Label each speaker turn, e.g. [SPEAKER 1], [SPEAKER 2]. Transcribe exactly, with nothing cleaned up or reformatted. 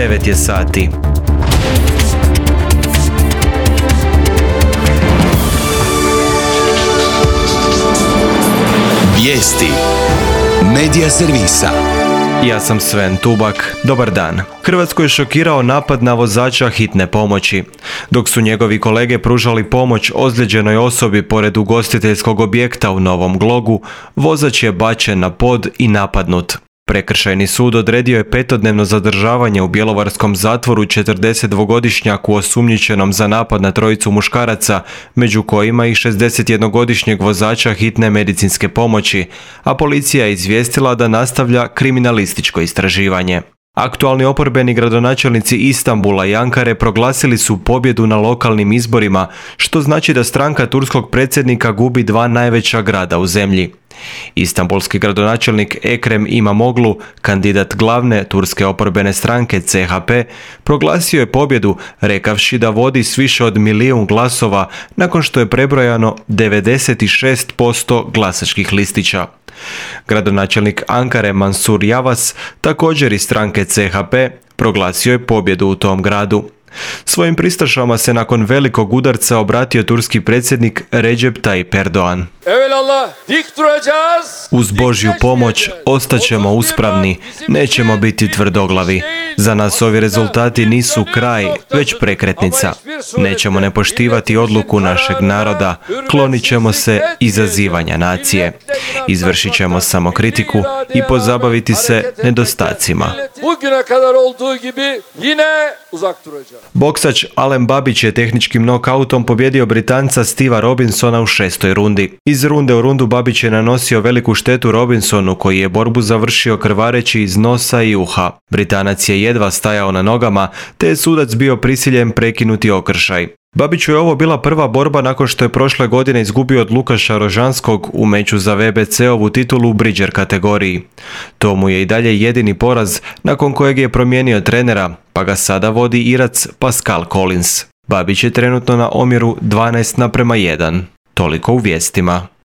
[SPEAKER 1] devet je sati.
[SPEAKER 2] Vijesti Medija servisa.
[SPEAKER 1] Ja sam Sven Tubak. Dobar dan. Hrvatsku je šokirao napad na vozača hitne pomoći. Dok su njegovi kolege pružali pomoć ozlijeđenoj osobi pored ugostiteljskog objekta u Novom Glogu, vozač je bačen na pod i napadnut. Prekršajni sud odredio je petodnevno zadržavanje u bjelovarskom zatvoru četrdesetdvogodišnjaku osumnjičenom za napad na trojicu muškaraca, među kojima i šezdesetjednogodišnjeg vozača hitne medicinske pomoći, a policija je izvijestila da nastavlja kriminalističko istraživanje. Aktualni oporbeni gradonačelnici Istanbula i Ankare proglasili su pobjedu na lokalnim izborima, što znači da stranka turskog predsjednika gubi dva najveća grada u zemlji. Istanbulski gradonačelnik Ekrem Imamoglu, kandidat glavne turske oporbene stranke C H P, proglasio je pobjedu rekavši da vodi s više od milijun glasova nakon što je prebrojano devedeset šest posto glasačkih listića. Gradonačelnik Ankare Mansur Yavaş, također iz stranke C H P, proglasio je pobjedu u tom gradu. Svojim pristašama se nakon velikog udarca obratio turski predsjednik Recep Tayyip Erdoğan. Uz Božju pomoć ostaćemo uspravni, nećemo biti tvrdoglavi. Za nas ovi rezultati nisu kraj, već prekretnica. Nećemo ne poštivati odluku našeg naroda, klonit ćemo se izazivanja nacije. Izvršit ćemo samokritiku i pozabaviti se nedostacima. Boksač Alen Babić je tehničkim nokautom pobjedio Britanca Steva Robinsona u šestoj rundi. Iz runde u rundu Babić je nanosio veliku štetu Robinsonu, koji je borbu završio krvareći iz nosa i uha. Britanac je jedva stajao na nogama, te je sudac bio prisiljen prekinuti okršaj. Babiću je ovo bila prva borba nakon što je prošle godine izgubio od Lukaša Rožanskog u meču za V B C-ovu titulu u Bridger kategoriji. To mu je i dalje jedini poraz, nakon kojeg je promijenio trenera, pa ga sada vodi Irac Pascal Collins. Babić je trenutno na omjeru dvanaest naprema jedan. Toliko u vijestima.